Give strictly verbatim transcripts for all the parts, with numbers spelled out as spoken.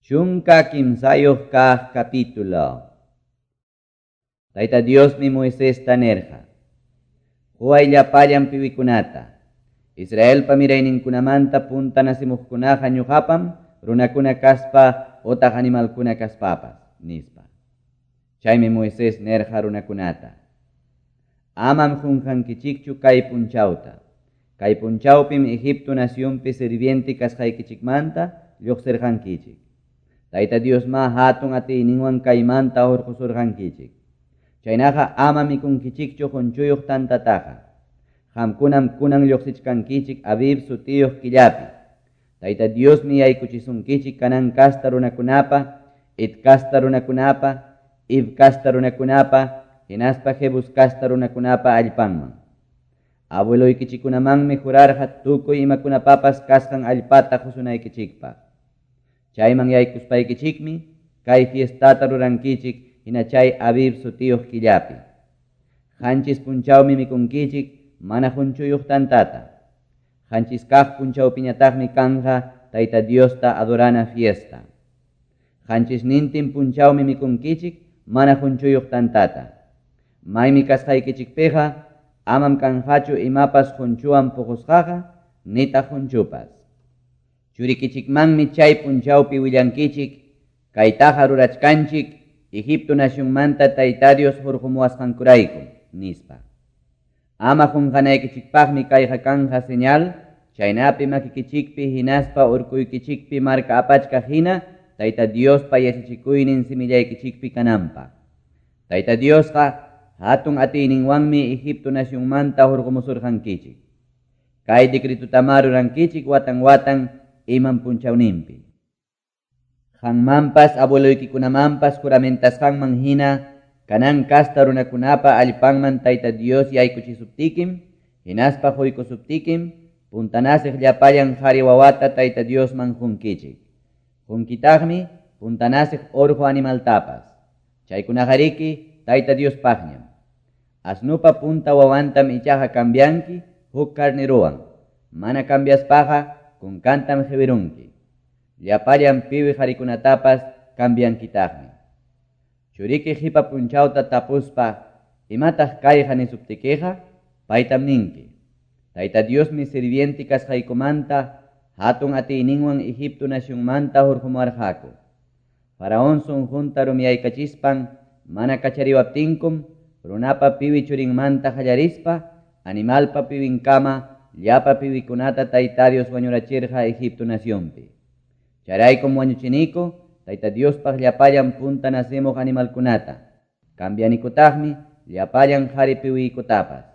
Chunka kimsayuq kaq capítulo. Tayta Diosmi Moisesta nirqa: Huway llapallan piwikunata, Israelpa mirayninkunamanta punta nacimuqkunaqa ñuqapam runakuna kaspa otaq animalkuna kaspapas, nispa. Chaymi Moisés nirqa runakunata: Amam qunqankichikchu kay punchawta. Kay punchawpim Egipto nacionpi sirviente kasqaykichikmanta lluqsirqankichik. Tayta Dios ma hatun atiyninwan kaymanta hurqusurqankichik. Chaynaqa ama mikunkichikchu qunchuyuq tantataqa. Qamkunam kunan lluqsichkankichik Abib sutiyuq killapi. Tayta Diosmi yaykuchisunkichik Canaán kasta runakunapa, Het kasta runakunapa, Hiv kasta runakunapa, hinaspa Jebus kasta runakunapa allpanman. Abueloykichikunamanmi jurarqa tukuy imakunapapas kasqan allpata qusunaykichikpaq. Chayman yaykuspaykichikmi kay fiestata rurankichik hina chay Abib sutiyuq killapi. Qanchis punchawmi mikunkichik mana qunchuyuq tantata. Qanchis kaq punchawpiñataqmi kanja Tayta Diosta adorana fiesta. Qanchis nintin punchawmi mikunkichik mana qunchuyuq tantata. Maymi kasqaykichikpiqa amam kanqachu imapas qunchuwan puqusqaqa nitaq qunchupas. Churikichikmanmi chay punchawpi willankichik kaytaqa rurachkanchik Egipto nacionmanta Tayta Dios hurqumuwasqankurayku, nispa. Ama qunqanaykichikpaqmi kayqa kanja señal, chaynapi makikichikpi hinaspa urkuykichikpi marka apachkaq hina Tayta Diospa yachachikuynin simillaykichikpi kananpaq. Tayta Diosqa hatun atiyninwanmi Egipto nacionmanta hurqumusurqankichik. Kay decretutama rurankichik watan watan iman punchawninpi. Qanmanpas abueloykikunamanpas juramentasqanman hina Canaán kasta runakunapa allpanman Tayta Dios yaykuchisuptikim, hinaspa quykusuptikim, puntanasiq llapallan qhari wawata Tayta Diosman qunkichik. Qunkitaqmi puntanasiq urqu animaltapas. Chaykunaqariki Tayta Diospaqñam. Asnupa punta wawantam ichaqa cambianki huk carneruwan. Mana cambiaspaqa kunkantam qiwirunki. Llapallan piwi qharikunatapas cambiankitaqmi. Churiki qipa punchawta tapuspa imataq kayqa nisuptikiqa paytam ninki: Tayta Diosmi sirviente kasqaykumanta hatun atiyninwan Egipto nacionmanta hurqumuwarqaku. Faraón sunqunta rumiyaykachispan mana kachariwaptinkum runapa piwi churinmanta qallarispa animalpa piwinkama llapa piwikunata Tayta Dios wañurachirqa Egipto nacionpi. Chayraykum wañuchiniku Tayta Diospaq llapallan punta nacimuq animalkunata. Cambianikutaqmi llapallan qhari piwiykutapas.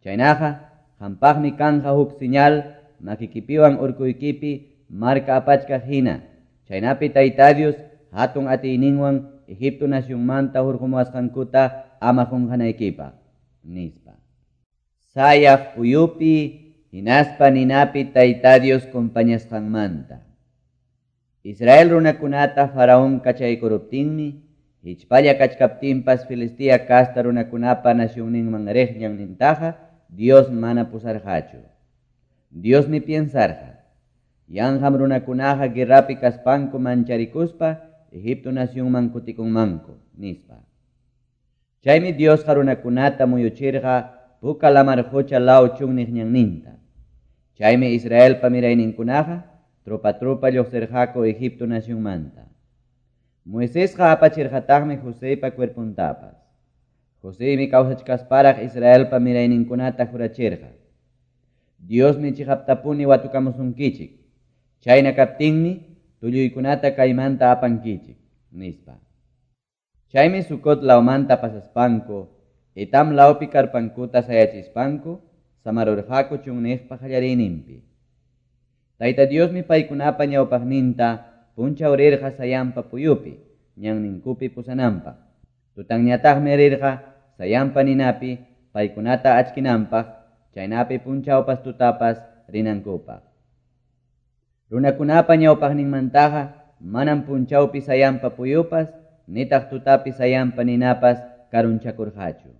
Chaynaqa qampaqmi kanja huk señal makikipiwan urkuykipi marka apachkaq hina. Chaynapi Tayta Dios hatun atiyninwan Egipto nacionmanta hurqumuwasqankuta ama qunqanaykipaq, nispa. Sayaq puyupi hinaspa ninapi Tayta Dios compañasqanmanta. Israel runakunata Faraón kachaykuruptinmi, hichpalla kachkaptinpas Filistea kasta runakunapa nacionninman riq ñannintaqa Dios mana pusarqachu. Diosmi piensarqa: yanqam runakunaqa guerrapi kaspanku mancharikuspa Egipto nacionman kutikunmanku, nispa. Chaymi Diosqa runakunata muyuchirqa Puka lamar qucha law chunniq ñanninta. Chaymi Israelpa mirayninkunaqa tropa tropa lluqsirqaku Egipto nacionmanta. Moisesqa apachirqataqmi Joseypa cuerpuntapas. Joseymi kawsachkasparaq Israelpa mirayninkunata jurachirqa: Diosmi chiqaptapuni watukamusunkichik. Chayna kaptinmi tulluykunata kaymanta apankichik, nispa. Chaymi Sucot lawmanta pasaspanku, Etam lawpi karpankuta sayachispanku, samarurqaku chunniqpa qallariyninpi. Tayta Diosmi paykunapa ñawpaqninta punchaw rirqa sayanpa puyupi, ñanninkupi pusananpaq. Tutanñataqmi rirqa sayanpa ninapi paykunata achkinanpaq, chaynapi punchawpas tutapas rinankupaq. Runakunapa ñawpaqninmantaqa manam punchawpi sayanpa puyupas, nitaq tutapi sayanpa ninapas karunchakurqachu.